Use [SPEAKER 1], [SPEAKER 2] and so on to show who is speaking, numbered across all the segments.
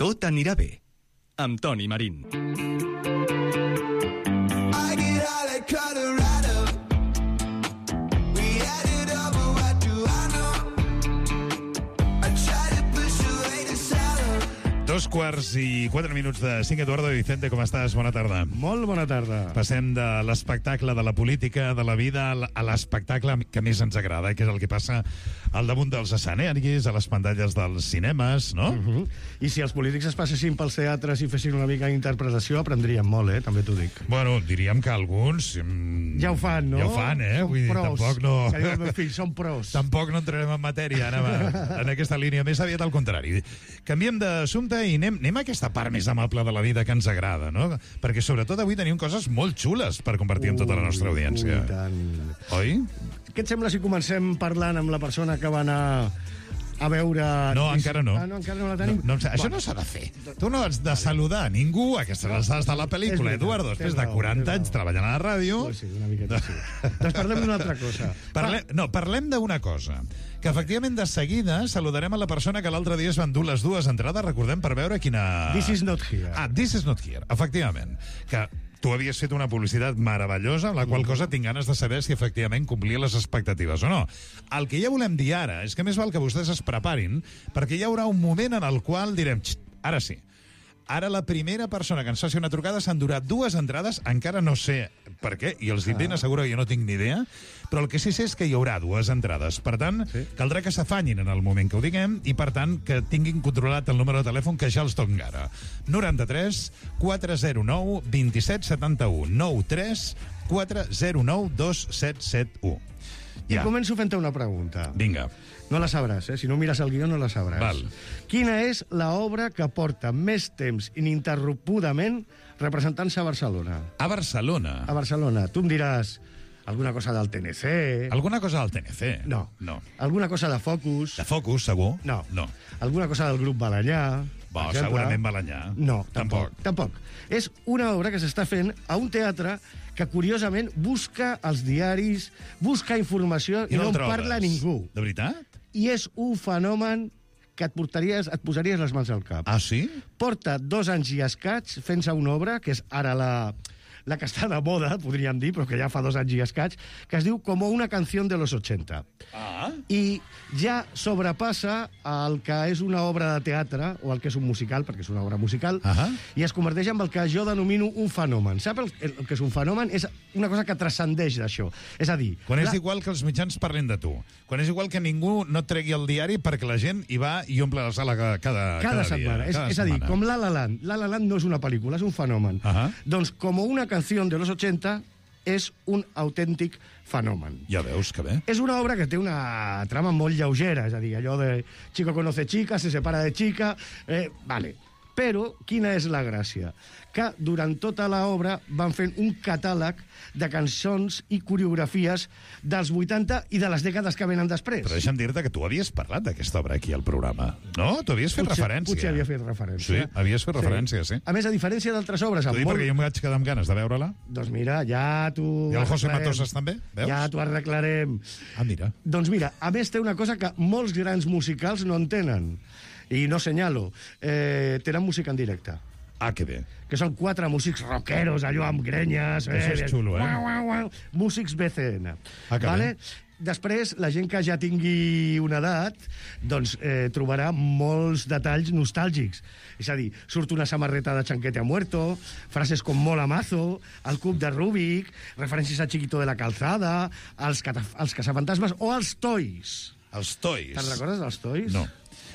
[SPEAKER 1] Tot anirà bé, amb Toni Marín.
[SPEAKER 2] Dos quarts i 4 minuts de 5. Eduardo Vicente, com estàs? Bona tarda.
[SPEAKER 3] Molt bona tarda.
[SPEAKER 2] Passem de l'espectacle, de la política, de la vida, a l'espectacle que més ens agrada, que és el que passa al damunt dels escenaris, a les pantalles dels cinemes, no?
[SPEAKER 3] I si els polítics es passessin pels teatres i fessin una mica d'interpretació, aprendríem molt, també t'ho dic.
[SPEAKER 2] Bueno, diríem que alguns...
[SPEAKER 3] Ja ho fan, no?
[SPEAKER 2] Ja ho fan, Vull dir,
[SPEAKER 3] pros.
[SPEAKER 2] tampoc no...
[SPEAKER 3] Que diu el meu fill, són pros.
[SPEAKER 2] Tampoc no entrarem en matèria, en aquesta línia. Més aviat al contrari. Canviem d'assumpte i anem a aquesta part més amable de la vida que ens agrada, no? Perquè sobretot avui tenim coses molt xules per compartir amb tota la nostra audiència. Oi?
[SPEAKER 3] Què et sembla si comencem parlant amb la persona que va anar a veure...
[SPEAKER 2] No, encara no.
[SPEAKER 3] Ah, no, encara no la tenim?
[SPEAKER 2] No, això no s'ha de fer. Tu no has de saludar ningú a aquestes alçades de la pel·lícula, Eduardo, després de 40 anys treballant a la ràdio...
[SPEAKER 3] Pues sí, una miqueta sí. Doncs parlem d'una altra cosa.
[SPEAKER 2] Parlem d'una cosa, que efectivament de seguida saludarem a la persona que l'altre dia es van dur les dues entrades, recordem, per veure quina...
[SPEAKER 3] This is not here.
[SPEAKER 2] Ah, This is not here, efectivament. Que tu havies fet una publicitat meravellosa, amb la qual cosa tinc ganes de saber si efectivament complia les expectatives o no. El que ja volem dir ara és que més val que vostès es preparin, perquè hi haurà un moment en el qual direm, ara sí. Ara la primera persona que ens faci una trucada s'endurà 2 entrades, encara no sé per què, i els dic ben asseguro que jo no tinc ni idea, però el que sí sé és que hi haurà 2 entrades. Per tant, caldrà que s'afanyin en el moment que ho diguem i, per tant, que tinguin controlat el número de telèfon que ja els toca ara. 93 409 27 71 93 409 2771.
[SPEAKER 3] I començo fent-te una pregunta.
[SPEAKER 2] Vinga.
[SPEAKER 3] No la sabràs, Si no mires el guió no la sabràs.
[SPEAKER 2] Val.
[SPEAKER 3] Quina és l'obra que porta més temps ininterrompudament representant-se a Barcelona?
[SPEAKER 2] A Barcelona?
[SPEAKER 3] A Barcelona. Tu em diràs alguna cosa del TNC...
[SPEAKER 2] Alguna cosa del TNC?
[SPEAKER 3] No.
[SPEAKER 2] No.
[SPEAKER 3] Alguna cosa de Focus?
[SPEAKER 2] De Focus, segur?
[SPEAKER 3] No.
[SPEAKER 2] No.
[SPEAKER 3] Alguna cosa del grup Balanyà?
[SPEAKER 2] Bo, segurament Balanyà.
[SPEAKER 3] No, tampoc. És una obra que s'està fent a un teatre que, curiosament, busca els diaris, busca informació i no en parla ningú.
[SPEAKER 2] De veritat?
[SPEAKER 3] I és un fenomen que et posaries les mans al cap.
[SPEAKER 2] Ah, sí?
[SPEAKER 3] Porta 2 anys i escaig fent-se una obra, que és ara la que està de moda, podríem dir, però que ja fa 2 anys i escaig, que es diu Como una canción de los 80.
[SPEAKER 2] Ah.
[SPEAKER 3] I ja sobrepassa el que és una obra de teatre, o el que és un musical, perquè és una obra musical, i es converteix en el que jo denomino un fenomen. Sap el que és un fenomen? És una cosa que transcendeix d'això. És a dir...
[SPEAKER 2] Quan és igual que els mitjans parlin de tu. Quan és igual que ningú no tregui el diari perquè la gent hi va i omple la sala cada
[SPEAKER 3] setmana.
[SPEAKER 2] Dia.
[SPEAKER 3] És a dir, com La La Land. La La Land no és una pel·lícula, és un fenomen. Doncs Como una canción de los 80 és un autèntic fenomen.
[SPEAKER 2] Ja veus, que bé.
[SPEAKER 3] És una obra que té una trama molt lleugera, és a dir, allò de chico conoce chica, se separa de chica... Vale. Però quina és la gràcia? Que durant tota l'obra van fent un catàleg de cançons i coreografies dels 80 i de les dècades que venen després.
[SPEAKER 2] Però deixa'm dir-te que tu havies parlat d'aquesta obra aquí al programa. No? Tu havies fet referència.
[SPEAKER 3] Potser havia fet referència.
[SPEAKER 2] Sí, havies fet referència, sí.
[SPEAKER 3] A més, a diferència d'altres obres...
[SPEAKER 2] T'ho dic perquè jo em vaig quedar amb ganes de veure-la.
[SPEAKER 3] Doncs mira, ja t'ho...
[SPEAKER 2] I el José Matosas també, veus?
[SPEAKER 3] Ja t'ho arreglarem.
[SPEAKER 2] Ah, mira.
[SPEAKER 3] Doncs mira, a més té una cosa que molts grans musicals no en tenen. I no senyalo. Tenen música en directe.
[SPEAKER 2] Ah, que bé.
[SPEAKER 3] Que són 4 músics rockeros, allò amb grenyes...
[SPEAKER 2] Això és xulo,
[SPEAKER 3] Músics BCN.
[SPEAKER 2] Ah, que bé.
[SPEAKER 3] Després, la gent que ja tingui una edat, doncs trobarà molts detalls nostàlgics. És a dir, surt una samarreta de Chanquete a Muerto, frases com Mola Mazo, el cub de Rubik, referències a Chiquito de la Calzada, els caçafantasmes o els Toys.
[SPEAKER 2] Els Toys?
[SPEAKER 3] Te'n recordes dels Toys?
[SPEAKER 2] No.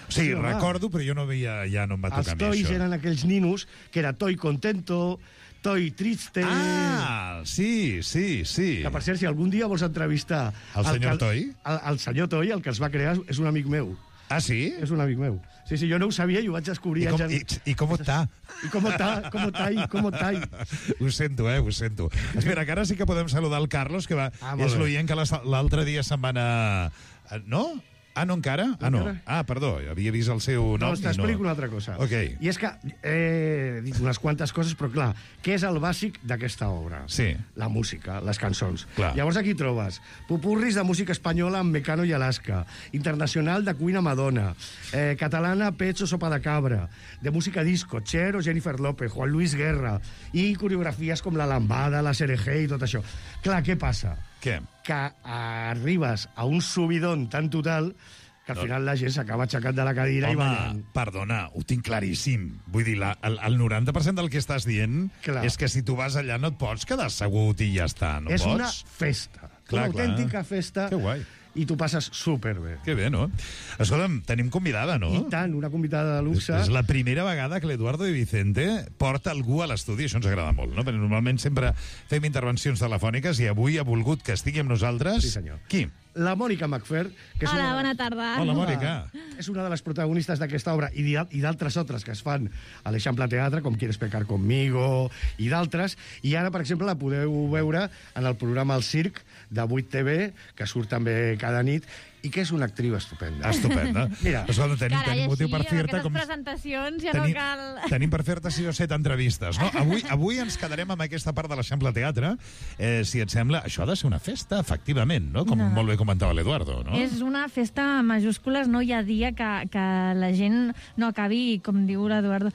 [SPEAKER 2] Sí, recordo, però jo no veia, ja no em va tocar a mi això.
[SPEAKER 3] Els Toys eren aquells ninos que era Toy Contento, Toy Triste...
[SPEAKER 2] Ah, sí.
[SPEAKER 3] Que, per cert, si algun dia vols entrevistar...
[SPEAKER 2] El senyor Toy?
[SPEAKER 3] El senyor Toy, el que els va crear, és un amic meu.
[SPEAKER 2] Ah, sí?
[SPEAKER 3] És un amic meu. Sí, jo no ho sabia i ho vaig descobrir...
[SPEAKER 2] I com està?
[SPEAKER 3] I com està?
[SPEAKER 2] Ho sento, ho sento. Espera, que ara sí que podem saludar el Carlos, que és l'oient que l'altre dia se'n va anar... No? Ah, no encara? Ah, no. Ah, perdó, havia vist el seu nom.
[SPEAKER 3] Doncs t'explico una altra cosa.
[SPEAKER 2] Okay.
[SPEAKER 3] I és que he dit unes quantes coses, però clar, què és el bàsic d'aquesta obra?
[SPEAKER 2] Sí.
[SPEAKER 3] La música, les cançons.
[SPEAKER 2] Clar.
[SPEAKER 3] Llavors aquí trobes popurris de música espanyola amb Mecano i Alaska, internacional de Queen a Madonna, catalana Pecho Sopa de Cabra, de música disco, Cher o Jennifer López, Juan Luis Guerra, i coreografies com la lambada, la Serejé i tot això. Clar, què passa?
[SPEAKER 2] Què?
[SPEAKER 3] Que arribes a un subidón tan total que al final la gent s'acaba aixecant de la cadira i ballant.
[SPEAKER 2] Perdona, ho tinc claríssim. Vull dir, el 90% del que estàs dient és que si tu vas allà no et pots quedar assegut i ja està, no
[SPEAKER 3] és
[SPEAKER 2] pots?
[SPEAKER 3] Una festa.
[SPEAKER 2] Clar,
[SPEAKER 3] una autèntica festa.
[SPEAKER 2] Que guai.
[SPEAKER 3] I tu passes superbé.
[SPEAKER 2] Que bé, no? Escolta'm, tenim convidada, no?
[SPEAKER 3] I tant, una convidada de luxe.
[SPEAKER 2] És la primera vegada que l'Eduardo de Vicente porta algú a l'estudi. Això ens agrada molt, no? Perquè normalment sempre fem intervencions telefòniques i avui ha volgut que estigui amb nosaltres...
[SPEAKER 3] Sí, senyor.
[SPEAKER 2] Qui?
[SPEAKER 3] La Mònica Macfer, que és
[SPEAKER 4] Hola, bona tarda.
[SPEAKER 2] Hola, Mònica.
[SPEAKER 3] És una de les protagonistes d'aquesta obra i d'altres altres que es fan a l'Eixample Teatre, com Quieres pecar conmigo i d'altres. I ara, per exemple, la podeu veure en el programa El Circ de 8TV, que surt també cada nit, i que és una actriu estupenda.
[SPEAKER 2] Estupenda.
[SPEAKER 3] Mira,
[SPEAKER 2] escolta, tenim motiu per fer-te...
[SPEAKER 4] Com presentacions ja
[SPEAKER 2] tenim,
[SPEAKER 4] no cal...
[SPEAKER 2] Tenim per fer-te 6 o 7 entrevistes, no? Avui ens quedarem amb aquesta part de l'Eixample Teatre. Si et sembla, això ha de ser una festa, efectivament, no? Com molt bé comentava l'Eduardo, no?
[SPEAKER 4] És una festa en majúscules, no hi ha dia que la gent no acabi, com diu l'Eduardo,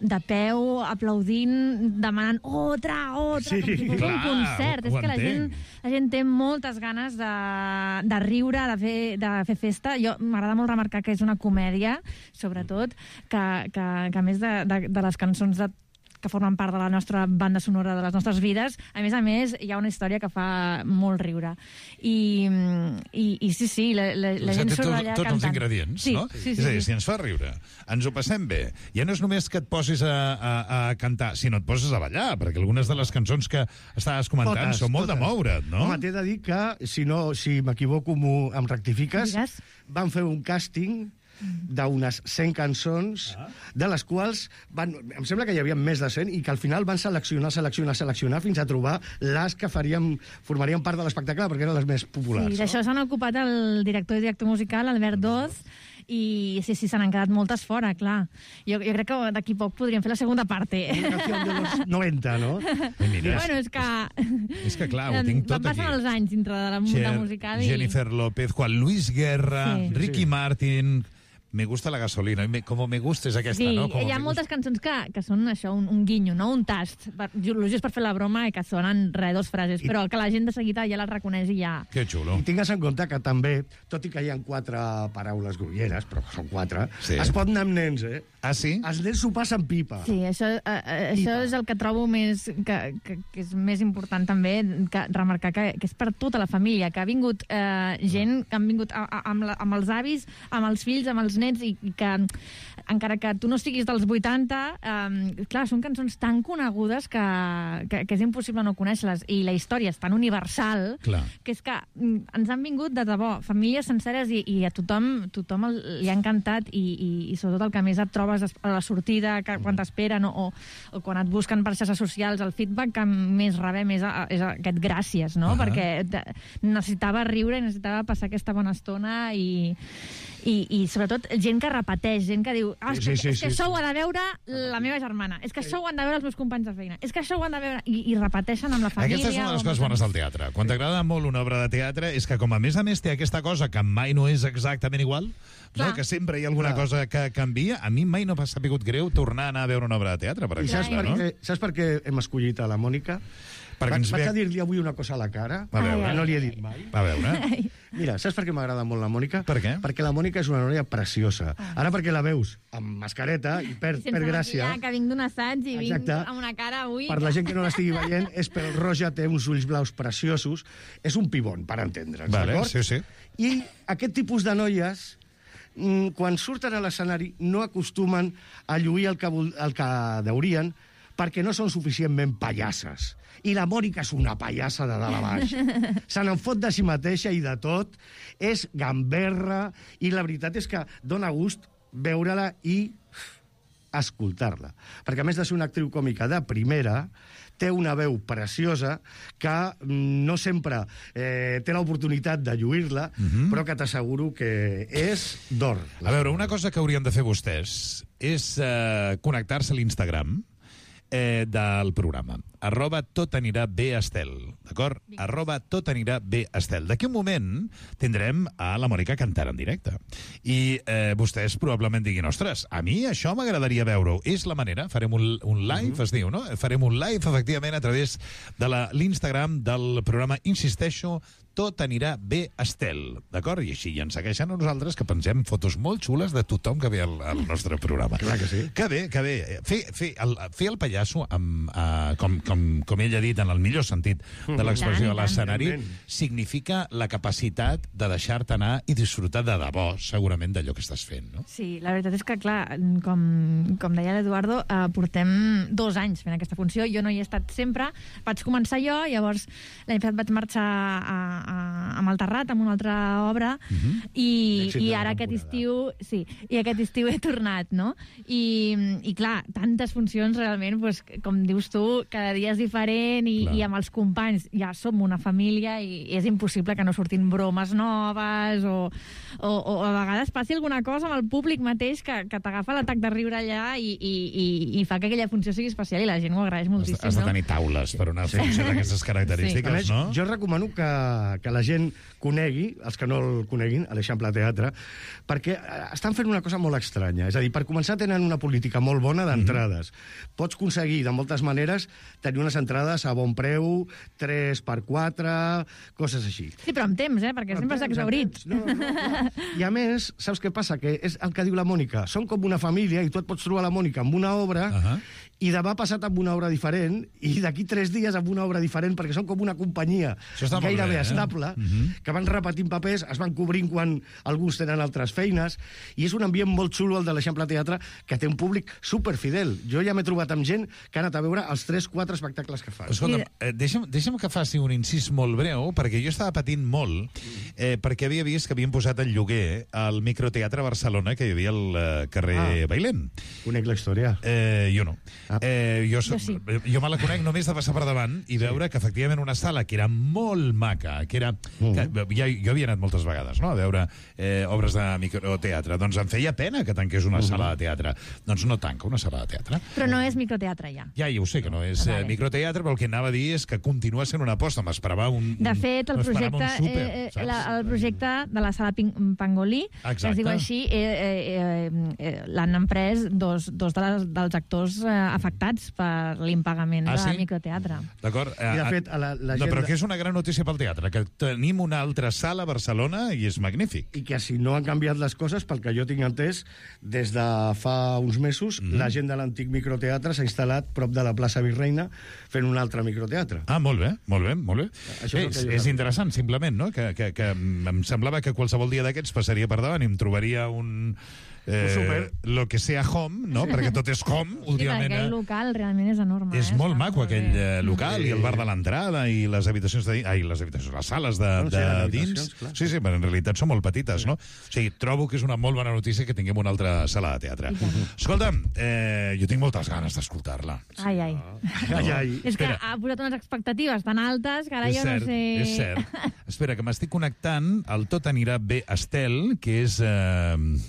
[SPEAKER 4] de peu, aplaudint, demanant otra,
[SPEAKER 2] Sí,
[SPEAKER 4] com si fos un concert. És que la gent té moltes ganes de riure, de fer festa. M'agrada molt remarcar que és una comèdia, sobretot, que a més de les cançons que formen part de la nostra banda sonora de les nostres vides, a més, hi ha una història que fa molt riure. I sí, la gent surt d'allà cantant.
[SPEAKER 2] Tots els ingredients, no?
[SPEAKER 4] Sí.
[SPEAKER 2] És a dir, si ens fa riure, ens ho passem bé, ja no és només que et posis a cantar, sinó et poses a ballar, perquè algunes de les cançons que estaves comentant són molt de moure't, no?
[SPEAKER 3] Home, t'he de dir que, si m'equivoco, em rectifiques, van fer un càsting d'unes 100 cançons, de les quals em sembla que hi havia més de 100 i que al final van seleccionar fins a trobar les que formarien part de l'espectacle perquè eren les més populars.
[SPEAKER 4] Sí, d'això s'han ocupat el director i director musical, Albert Doz, i sí, se n'han quedat moltes fora, clar. Jo crec que d'aquí poc podríem fer la segona parte.
[SPEAKER 3] Una canció de los 90, no?
[SPEAKER 4] Bueno,
[SPEAKER 2] és que clar, ho tinc tot aquí.
[SPEAKER 4] Passen els anys dintre de la musical.
[SPEAKER 2] Jennifer López, Juan Luis Guerra, Ricky Martin... Me gusta la gasolina. Como me gusta és aquesta, no?
[SPEAKER 4] Sí, hi ha moltes cançons que són això, un guinyo, no? Un tast. Just per fer la broma i que sonen dos frases, però que la gent de seguida ja les reconeix i ja...
[SPEAKER 2] Que xulo.
[SPEAKER 3] I tingues en compte que també, tot i que hi ha 4 paraules grolleres, però són 4, es pot anar amb nens, eh?
[SPEAKER 2] Ah, sí?
[SPEAKER 3] Els nens s'ho passen pipa.
[SPEAKER 4] Sí, això és el que trobo més... que és més important també, remarcar que és per tota la família, que ha vingut gent que han vingut amb els avis, amb els fills, amb els nens, i que encara que tu no siguis dels 80, clar, són cançons tan conegudes que és impossible no conèixer-les, i la història és tan universal que és que ens han vingut de debò, famílies senceres, i a tothom li ha encantat, i sobretot el que més et trobes a la sortida, quan t'esperen o quan et busquen per xarxes socials, el feedback que més rebem és aquest gràcies, no? Perquè necessitava riure, necessitava passar aquesta bona estona, i sobretot gent que repeteix, gent que diu és que això ho ha de veure la meva germana, és que això ho han de veure els meus companys de feina, és que això ho han de veure... I repeteixen amb la família...
[SPEAKER 2] Aquesta és una de les coses bones del teatre. Quan t'agrada molt una obra de teatre és que, com a més té aquesta cosa que mai no és exactament igual, no? Que sempre hi ha alguna cosa que canvia. A mi mai no m'ha sapigut greu tornar a anar a veure una obra de teatre, per exemple.
[SPEAKER 3] Saps per què hem escollit a la Mònica? Vaig a dir-li avui una cosa a la cara, que no li he dit mai.
[SPEAKER 2] A veure.
[SPEAKER 3] Mira, saps per què m'agrada molt la Mònica?
[SPEAKER 2] Per què?
[SPEAKER 3] Perquè la Mònica és una noia preciosa. Ara perquè la veus amb mascareta i per gràcia...
[SPEAKER 4] Sense que vinc d'un assaig i vinc amb una cara avui...
[SPEAKER 3] Per la gent que no l'estigui veient, és pel roja, té uns ulls blaus preciosos. És un pibon, per entendre'ns, d'acord?
[SPEAKER 2] Sí.
[SPEAKER 3] I aquest tipus de noies, quan surten a l'escenari, no acostumen a lluir el que deurien, perquè no són suficientment pallasses. I la Mònica és una pallassa de dalt a baix. Se n'en fot de si mateixa i de tot. És gamberra, i la veritat és que dona gust veure-la i escoltar-la. Perquè a més de ser una actriu còmica de primera, té una veu preciosa que no sempre té l'oportunitat de lluir-la, però que t'asseguro que és d'or.
[SPEAKER 2] A veure, una cosa que haurien de fer vostès és connectar-se a l'Instagram del programa. @totanirabéestel, d'acord? @totanirabéestel. D'aquí un moment tindrem a la Mònica cantant en directe. I vostès probablement diguin, ostres, a mi això m'agradaria veure-ho. És la manera, farem un live, es diu, no? Farem un live, efectivament, a través de l'Instagram del programa, insisteixo, Tot anirà bé, Estel, d'acord? I així ja ens segueixen a nosaltres, que pensem fotos molt xules de tothom que ve al nostre programa.
[SPEAKER 3] Clar que sí.
[SPEAKER 2] Que bé, que bé. Fer el pallasso, com ell ha dit, en el millor sentit de l'expressió de l'escenari, significa la capacitat de deixar-te anar i disfrutar de debò, segurament, d'allò que estàs fent, no?
[SPEAKER 4] Sí, la veritat és que, clar, com deia l'Eduardo, portem 2 anys fent aquesta funció. Jo no hi he estat sempre. Vaig començar jo, llavors l'any passat vaig marxar a Malterrat, amb una altra obra, i ara aquest estiu he tornat, no? I clar, tantes funcions realment, doncs, com dius tu, cada dia és diferent, i amb els companys ja som una família i és impossible que no surtin bromes noves o a vegades passi alguna cosa amb el públic mateix que t'agafa l'atac de riure allà i fa que aquella funció sigui especial i la gent ho agraeix moltíssim.
[SPEAKER 2] Has de tenir taules per una funció d'aquestes característiques, no?
[SPEAKER 3] Jo recomano que la gent conegui, els que no el coneguin, a l'Eixample Teatre, perquè estan fent una cosa molt estranya. És a dir, per començar, tenen una política molt bona d'entrades. Pots aconseguir, de moltes maneres, tenir unes entrades a bon preu, 3x4, coses així.
[SPEAKER 4] Sí, però amb temps, perquè sempre s'ha exhaurit.
[SPEAKER 3] No. I a més, saps què passa? Que és el que diu la Mònica. Són com una família i tu et pots trobar la Mònica amb una obra i demà passat amb una obra diferent i d'aquí 3 dies amb una obra diferent, perquè són com una companyia gairebé estable, que van repetint papers, es van cobrint quan alguns tenen altres feines, i és un ambient molt xulo, el de l'Eixample Teatre, que té un públic superfidel. Jo ja m'he trobat amb gent que ha anat a veure els 3-4 espectacles que fan.
[SPEAKER 2] Escolta'm, deixa'm que faci un incís molt breu, perquè jo estava patint molt, perquè havia vist que havien posat en lloguer al Microteatre Barcelona, que hi havia al carrer Bailén.
[SPEAKER 3] Conec la història.
[SPEAKER 2] Jo no. Jo me la conec només de passar per davant i veure que efectivament una sala que era molt maca, que jo havia anat moltes vegades, no?, a veure obres de microteatre, doncs em feia pena que tanqués una sala de teatre. Doncs no tanca una sala de teatre.
[SPEAKER 4] Però no és microteatre, ja.
[SPEAKER 2] Ja ho sé que no és microteatre, però el que anava a dir és que continua sent una aposta. M'esperava un...
[SPEAKER 4] De fet, el projecte de la sala Pangolí, que es diu així, l'han emprès dos dels actors afectats per l'impagament del microteatre.
[SPEAKER 2] D'acord.
[SPEAKER 3] I de fet,
[SPEAKER 2] però que és una gran notícia pel teatre, que tenim una altra sala a Barcelona i és magnífic.
[SPEAKER 3] I que si no han canviat les coses, pel que jo tinc entès, des de fa uns mesos, la gent de l'antic microteatre s'ha instal·lat prop de la plaça Virreina fent un altre microteatre.
[SPEAKER 2] Ah, molt bé. És interessant, simplement, no? Que em semblava que qualsevol dia d'aquests passaria per davant i em trobaria un lo que sea home, no? Perquè tot és home, últimament.
[SPEAKER 4] Sí, aquell local realment és enorme.
[SPEAKER 2] És molt maco, aquell local, i el bar de l'entrada, i les habitacions de dins... les sales de dins. Sí, però en realitat són molt petites, no? O sigui, trobo que és una molt bona notícia que tinguem una altra sala de teatre. Escolta'm, jo tinc moltes ganes d'escoltar-la.
[SPEAKER 4] Ai. És que ha posat unes expectatives tan altes que ara jo no sé...
[SPEAKER 2] És cert. Espera, que m'estic connectant al Tot anirà bé, Estel, que és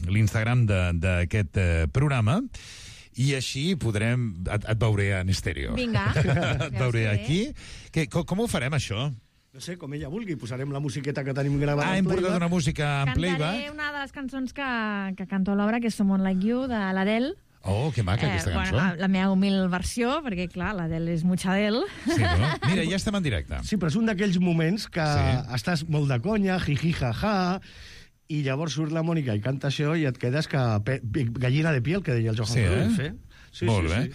[SPEAKER 2] l'Instagram d'aquest programa, i així podrem... Et veuré en estèreo.
[SPEAKER 4] Vinga.
[SPEAKER 2] Et veuré aquí. Com ho farem, això?
[SPEAKER 3] No sé, com ella vulgui. Posarem la musiqueta que tenim gravada
[SPEAKER 2] hem portat una música en playback.
[SPEAKER 4] Cantaré una de les cançons que canto a l'obra, que és Someone Like You, de l'Adele.
[SPEAKER 2] Oh, que maca, aquesta cançó.
[SPEAKER 4] La meva humil versió, perquè, clar, l'Adele és mucha Adele.
[SPEAKER 2] Sí, no? Mira, ja estem en directe.
[SPEAKER 3] Sí, però és un d'aquells moments que estàs molt de conya, jiji, jaja, i llavors surt la Mònica i canta això i et quedes que gallina de piel, que deia el Johan Cruyff,
[SPEAKER 2] Molt bé.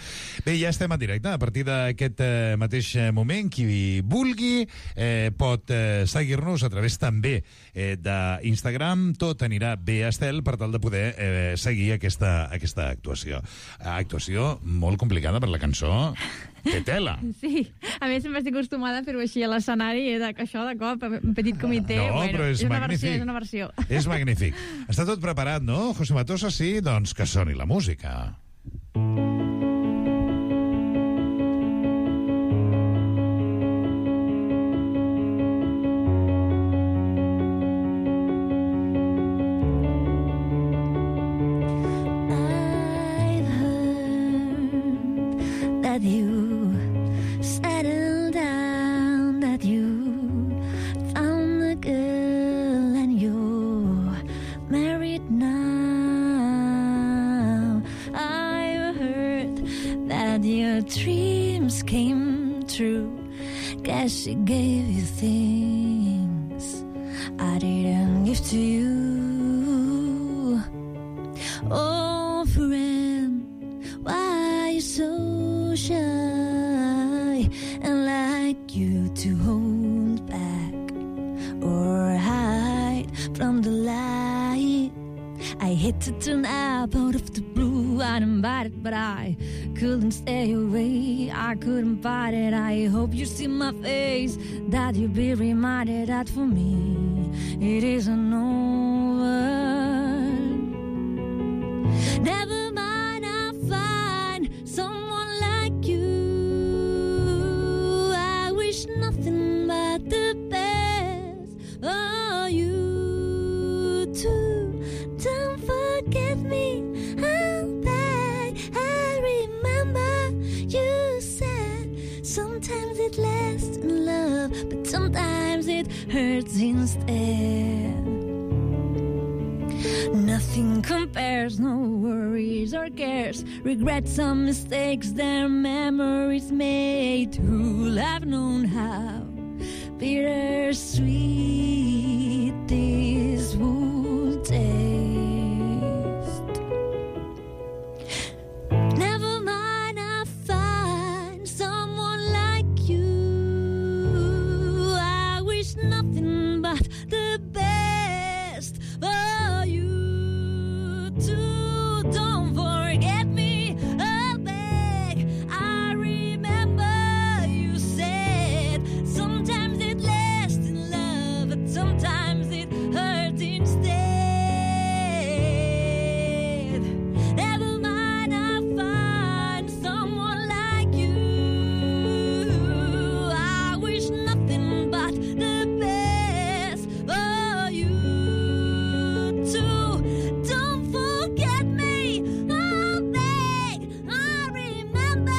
[SPEAKER 2] Bé, ja estem en directe. A partir d'aquest mateix moment, qui vulgui pot seguir-nos a través també d'Instagram. Tot anirà bé, Estel, per tal de poder seguir aquesta actuació. Actuació molt complicada per la cançó. Que tela! Sí,
[SPEAKER 4] a més sempre estic acostumada a fer-ho així a l'escenari, això de cop, un petit comitè.
[SPEAKER 2] No, però és magnífic.
[SPEAKER 4] És una versió.
[SPEAKER 2] És magnífic. Està tot preparat, no, José Matosa? Sí, doncs que soni la música.
[SPEAKER 5] that you settled down, that you found a girl and you're married now. I heard that your dreams came true. Guess she gave you things I didn't give to you. Oh, friend, why are you so shy and like you to hold back or hide from the light? I hate to turn up out of the blue uninvited, but I couldn't stay away. I couldn't fight it. I hope you see my face, that you'll be reminded that for me it isn't over. Never mind, I'll find someone like you. I wish nothing but the best for you too. Don't forget me, I'll beg. I remember you said sometimes it lasts in love, but sometimes it hurts instead. Nothing compares, no worries or cares, regrets or mistakes, their memories made. Who'll have known how bittersweet this would taste? Never mind, I'll find someone like you. I wish nothing but the best for you too. Don't forget me, I'll beg. I remember you said sometimes it lasts in love, but sometimes it hurts instead. Never mind, I'll find someone like you. I wish nothing but the best for you too. Don't forget me, I'll beg. I remember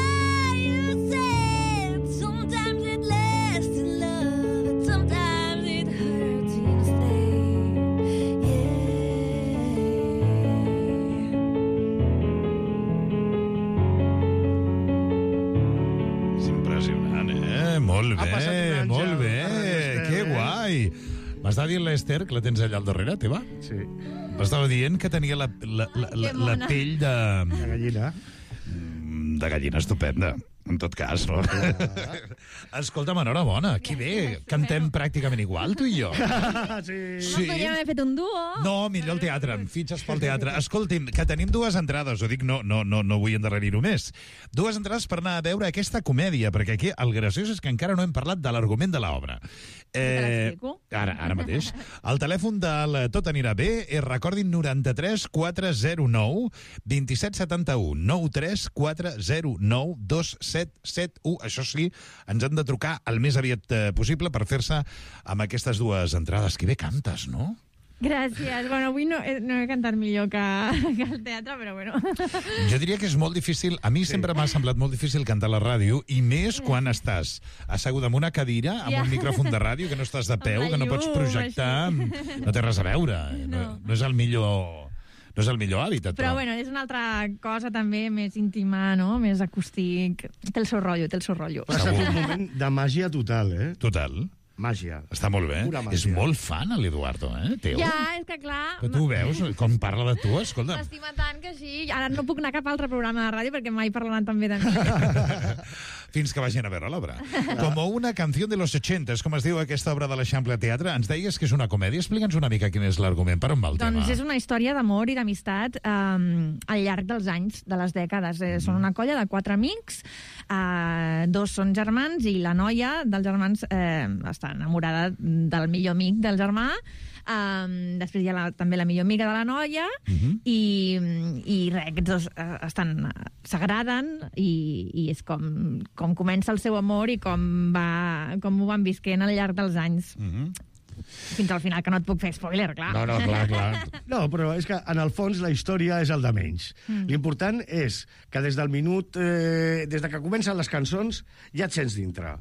[SPEAKER 5] you said sometimes it lasts in love, but sometimes it hurts instead.
[SPEAKER 2] És impressionant, Molt
[SPEAKER 3] Ha passat un
[SPEAKER 2] bé,
[SPEAKER 3] àngel,
[SPEAKER 2] molt bé.
[SPEAKER 3] l'Esther,
[SPEAKER 2] Que guai. M'està dient l'Esther, que la tens allà al darrere, teva?
[SPEAKER 3] Sí,
[SPEAKER 2] M'estava dient que tenia la
[SPEAKER 4] mona.
[SPEAKER 2] pell
[SPEAKER 3] la gallina.
[SPEAKER 2] de gallina estupenda. En tot cas, no? Escolta'm, enhorabona. Que bé. Cantem pràcticament igual, tu i jo.
[SPEAKER 3] Sí.
[SPEAKER 2] Sí.
[SPEAKER 4] Podríem haver fet un duo.
[SPEAKER 2] No, millor el teatre, em fitxes pel teatre. Escolti'm, que tenim dues entrades, ho dic, no vull endarrerir-ho més. Dues entrades per anar a veure aquesta comèdia, perquè aquí el graciós és que encara no hem parlat de l'argument de l'obra.
[SPEAKER 4] Te l'explico.
[SPEAKER 2] Ara mateix. El telèfon del Tot anirà bé és, recordin, 93 409 2771 93 409 2771. Això sí, ens han de trucar el més aviat possible per fer-se amb aquestes dues entrades. Que bé cantes, no?
[SPEAKER 4] Gràcies. Bueno, avui no he cantat millor que al teatre, però bueno.
[SPEAKER 2] Jo diria que és molt difícil, a mi sempre m'ha semblat molt difícil cantar a la ràdio, i més quan estàs asseguda en una cadira, amb un micròfon de ràdio, que no estàs de peu, que no pots projectar, no té res a veure. No és el millor... No és el millor hàbitat,
[SPEAKER 4] Però bueno, és una altra cosa també més íntima, no? Més acústic. Té el seu rotllo, té el seu rotllo.
[SPEAKER 3] Però ha estat un moment de màgia total,
[SPEAKER 2] Total.
[SPEAKER 3] Màgia.
[SPEAKER 2] Està molt bé.
[SPEAKER 3] Pura màgia.
[SPEAKER 2] És molt fan, l'Eduardo, teu.
[SPEAKER 4] Ja, és que clar...
[SPEAKER 2] Però tu veus com parla de tu, escolta.
[SPEAKER 4] M'estima tant que sí. Ara no puc anar a cap altre programa de ràdio perquè mai parlaran tan bé de mi.
[SPEAKER 2] Fins que vagin a veure l'obra. Com una canció de los 80, com es diu aquesta obra de l'Eixample Teatre. Ens deies que és una comèdia. Explica'ns una mica quin és l'argument. Per on va el tema?
[SPEAKER 4] Doncs és una història d'amor i d'amistat al llarg dels anys, de les dècades. Són una colla de 4 amics, 2 són germans i la noia dels germans està enamorada del millor amic del germà. Després hi ha també la millor amiga de la noia i res, aquests dos s'agraden i és com comença el seu amor i com ho van visquent al llarg dels anys. Fins al final, que no et puc fer spoiler, clar.
[SPEAKER 2] No, clar.
[SPEAKER 3] No, però és que, en el fons, la història és el de menys. L'important és que des del minut... des de que comencen les cançons, ja et sents dintre.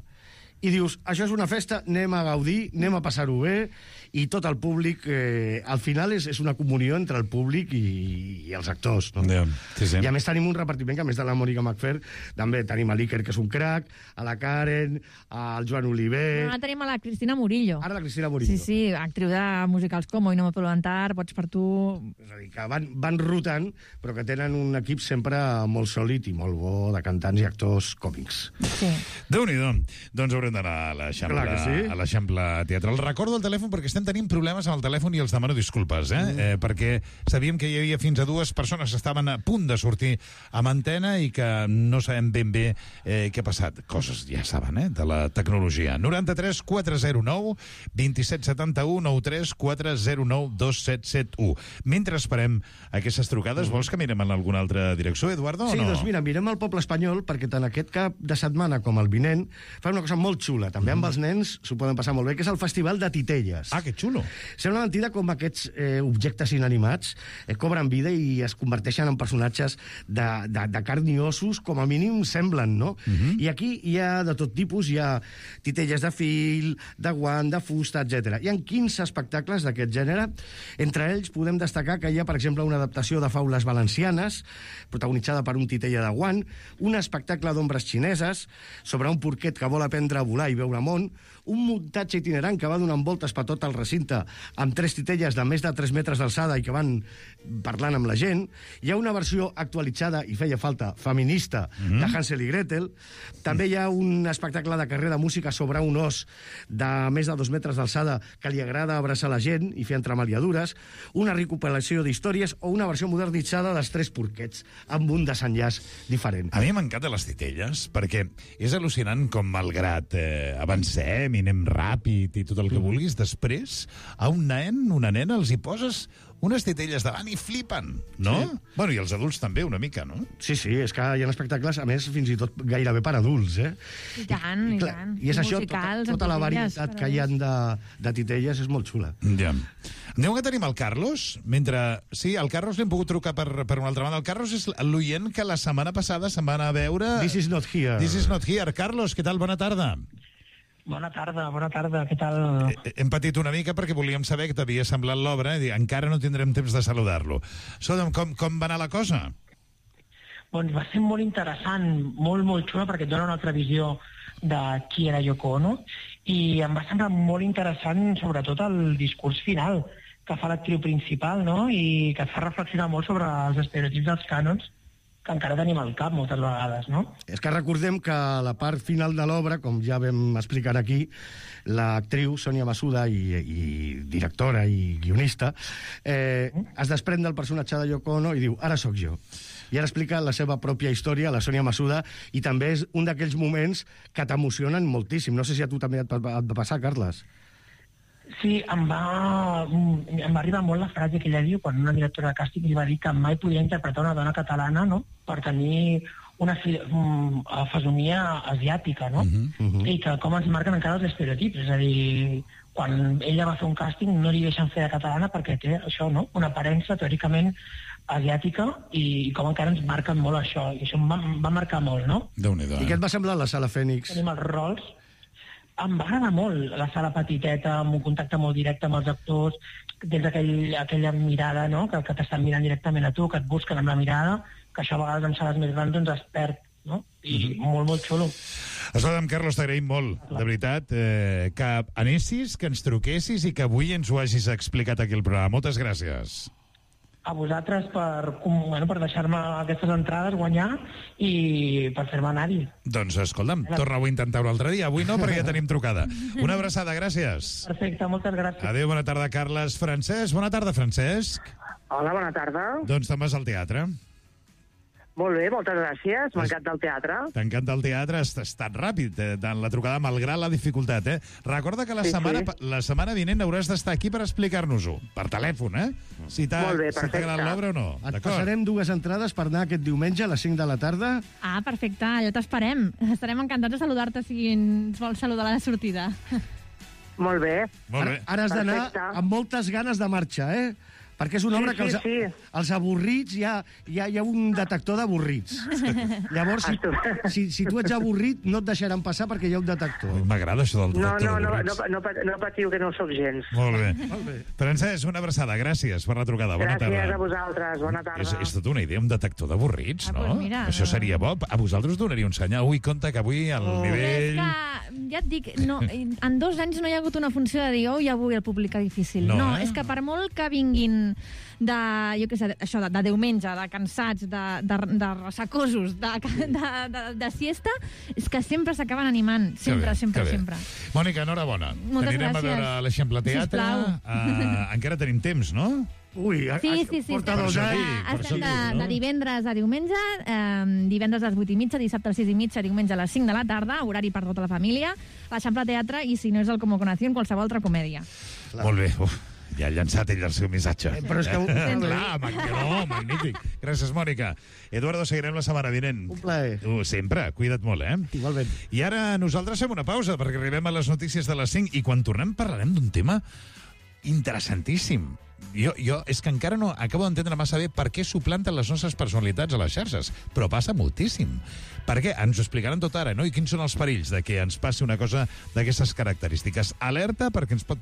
[SPEAKER 3] I dius, això és una festa, anem a gaudir, anem a passar-ho bé, i tot el públic... al final és una comunió entre el públic i els actors. No?
[SPEAKER 2] Sí.
[SPEAKER 3] I a més tenim un repartiment que, a més de la Mònica Macfer, també tenim a l'Iker, que és un crac, a la Karen, al Joan Oliver...
[SPEAKER 4] Ara tenim a la Cristina Murillo.
[SPEAKER 3] Ara la Cristina Murillo.
[SPEAKER 4] Sí, actriu de musicals com Hoy no me puedo levantar, Pots per tu...
[SPEAKER 3] És a dir, que van rotant, però que tenen un equip sempre molt sòlid i molt bo de cantants i actors còmics.
[SPEAKER 4] Sí.
[SPEAKER 2] Déu-n'hi-do. Doncs haurem d'anar a l'Eixample Teatral. Recordo el telèfon perquè estem tenint problemes amb el telèfon i els demano disculpes, perquè sabíem que hi havia fins a 2 persones que estaven a punt de sortir amb antena i que no sabem ben bé què ha passat. Coses, ja saben, de la tecnologia. 93 409 2771 93 409 2771. Mentre esperem aquestes trucades, vols que mirem en alguna altra direcció, Eduardo, o no?
[SPEAKER 3] Sí, doncs mira, mirem el poble espanyol, perquè tant aquest cap de setmana com el vinent fa una cosa molt xula, també amb els nens s'ho poden passar molt bé, que és el Festival de Titelles.
[SPEAKER 2] Ah, que xulo.
[SPEAKER 3] Sembla mentida com aquests objectes inanimats cobren vida i es converteixen en personatges de carn i ossos, com a mínim semblen, no? I aquí hi ha de tot tipus, hi ha titelles de fil, de guant, de fusta, etc. Hi ha 15 espectacles d'aquest gènere. Entre ells podem destacar que hi ha, per exemple, una adaptació de faules valencianes, protagonitzada per un titella de guant, un espectacle d'ombres xineses sobre un porquet que vol aprendre a volar i veure món, un muntatge itinerant que va donant voltes per tot el recinte amb 3 titelles de més de 3 metres d'alçada i que van parlant amb la gent. Hi ha una versió actualitzada, i feia falta, feminista, de Hansel i Gretel. També hi ha un espectacle de carrer de música sobre un os de més de 2 metres d'alçada que li agrada abraçar la gent i fer entremaliadures, una recopilació d'històries o una versió modernitzada dels 3 porquets amb un desenllaç diferent.
[SPEAKER 2] A mi m'encanten les titelles, perquè és al·lucinant com, malgrat avancem i anem ràpid i tot el que vulguis, després a un nen, una nena, els hi poses unes titelles davant i flipen, no? Sí. Bueno, i els adults també, una mica, no?
[SPEAKER 3] Sí, és que hi ha espectacles, a més, fins i tot gairebé per adults,
[SPEAKER 4] I tant, i tant.
[SPEAKER 3] I és això, tota la varietat que hi ha de titelles és molt xula.
[SPEAKER 2] Ja. Aneu que tenim el Carlos, Sí, el Carlos l'hem pogut trucar per una altra banda. El Carlos és l'oient que la setmana passada se'n va anar a veure...
[SPEAKER 3] This is not here.
[SPEAKER 2] This is not here. Carlos, què tal? Bona tarda.
[SPEAKER 6] Bona tarda, què tal?
[SPEAKER 2] Hem patit una mica perquè volíem saber que t'havia semblat l'obra i encara no tindrem temps de saludar-lo. Com va anar la cosa?
[SPEAKER 6] Doncs va ser molt interessant, molt xula, perquè et dona una altra visió de qui era Yoko Ono, i em va semblar molt interessant, sobretot, el discurs final que fa l'actriu principal, no? I que et fa reflexionar molt sobre els estereotips dels cànons que encara tenim al cap moltes vegades, no?
[SPEAKER 3] És que recordem que a la part final de l'obra, com ja vam explicar aquí, l'actriu Sònia Masuda, i directora i guionista, es desprèn del personatge de Yoko Ono i diu, ara sóc jo. I ara explica la seva pròpia història, la Sònia Masuda, i també és un d'aquells moments que t'emocionen moltíssim. No sé si a tu també et va passar, Carles.
[SPEAKER 6] Sí, em va arribar molt la frase que ella diu quan una directora de càsting li va dir que mai podria interpretar una dona catalana, no?, per tenir una fesomia asiàtica, no? I que com ens marquen encara els estereotips. És a dir, quan ella va fer un càsting no li deixen fer de catalana perquè té això, no?, una aparença teòricament asiàtica, i com encara ens marquen molt això. I això em va marcar molt, no?
[SPEAKER 2] Déu-n'hi-do.
[SPEAKER 3] I què et va semblar la Sala Fènix?
[SPEAKER 6] Tenim els rols. Em va agradar molt la sala petiteta, amb un contacte molt directe amb els actors, tens aquella mirada, no?, que t'estan mirant directament a tu, que et busquen amb la mirada, que això a vegades en sales més grans doncs es perd, no? I molt xulo.
[SPEAKER 2] Escolta'm, Carlos, t'agraïm molt, de veritat, que anessis, que ens truquessis i que avui ens ho hagis explicat aquí al programa. Moltes gràcies.
[SPEAKER 6] A vosaltres per deixar-me aquestes entrades, guanyar, i per fer-me anar-hi.
[SPEAKER 2] Doncs, escolta'm, torna-ho a intentar un altre dia. Avui no, perquè ja tenim trucada. Una abraçada, gràcies.
[SPEAKER 6] Perfecte, moltes gràcies.
[SPEAKER 2] Adéu, bona tarda, Carles. Francesc, bona tarda, Francesc.
[SPEAKER 7] Hola, bona tarda.
[SPEAKER 2] Doncs te'n vas al teatre.
[SPEAKER 7] Molt bé, moltes gràcies. M'encanta el teatre.
[SPEAKER 2] T'encanta el teatre, has estat ràpid en la trucada, malgrat la dificultat, Recorda que la setmana vinent hauràs d'estar aquí per explicar-nos-ho, per telèfon, si t'ha agradat l'obra o no.
[SPEAKER 3] Et passarem 2 entrades per anar aquest diumenge a les 5 de la tarda.
[SPEAKER 4] Ah, perfecte, allà t'esperem. Estarem encantats de saludar-te si ens vols saludar a la sortida.
[SPEAKER 7] Molt bé.
[SPEAKER 2] Molt bé.
[SPEAKER 3] Ara has d'anar
[SPEAKER 7] Perfecte.
[SPEAKER 3] amb moltes ganes de marxa, Perquè és una obra que els avorrits, hi ha un detector d'avorrits. Llavors, si tu ets avorrit, no et deixaran passar perquè hi ha un detector.
[SPEAKER 2] M'agrada això del detector
[SPEAKER 7] No
[SPEAKER 2] d'avorrits.
[SPEAKER 7] patiu, que no ho soc gens.
[SPEAKER 2] Molt bé. Francesc, una abraçada. Gràcies per la trucada. Bona tarda.
[SPEAKER 7] Gràcies a vosaltres. Bona tarda.
[SPEAKER 2] És tota una idea, un detector d'avorrits, no?
[SPEAKER 4] Pues mira,
[SPEAKER 2] Això seria bo. A vosaltres donaria un senyal. Ui, compte que avui el nivell...
[SPEAKER 4] És que, ja et dic, no, en 2 anys no hi ha hagut una funció de dir, i avui el públic difícil.
[SPEAKER 2] No,
[SPEAKER 4] És que per molt que vinguin jo què sé, això, de diumenge, de cansats, de ressacosos, de siesta, és que sempre s'acaben animant. Sempre.
[SPEAKER 2] Mònica, enhorabona.
[SPEAKER 4] Moltes
[SPEAKER 2] Anirem
[SPEAKER 4] gràcies.
[SPEAKER 2] a veure l'Eixample Teatre.
[SPEAKER 4] Sisplau.
[SPEAKER 2] Encara tenim temps, no?
[SPEAKER 3] Ui,
[SPEAKER 4] Sí,
[SPEAKER 3] porta 2 anys.
[SPEAKER 4] estem de divendres a diumenge, divendres a les 8:30, dissabte a les 6:30, diumenge a les 5 de la tarda, horari per tota la família, l'Eixample Teatre, i si no és el Como Conación, qualsevol altra comèdia.
[SPEAKER 2] Molt bé. Ja ha llançat ell el seu missatge.
[SPEAKER 3] Però és que...
[SPEAKER 2] Clar, magnífic. Gràcies, Mònica. Eduardo, seguirem la setmana vinent.
[SPEAKER 3] Un plaer.
[SPEAKER 2] Sempre. Cuida't molt,
[SPEAKER 3] Igualment.
[SPEAKER 2] I ara nosaltres fem una pausa, perquè arribem a les notícies de les 5, i quan tornem parlarem d'un tema interessantíssim. Jo és que encara no acabo d'entendre massa bé per què suplanten les nostres personalitats a les xarxes, però passa moltíssim. Per què? Ens ho explicaran tot ara, no? I quins són els perills de que ens passi una cosa d'aquestes característiques. Alerta, perquè ens pot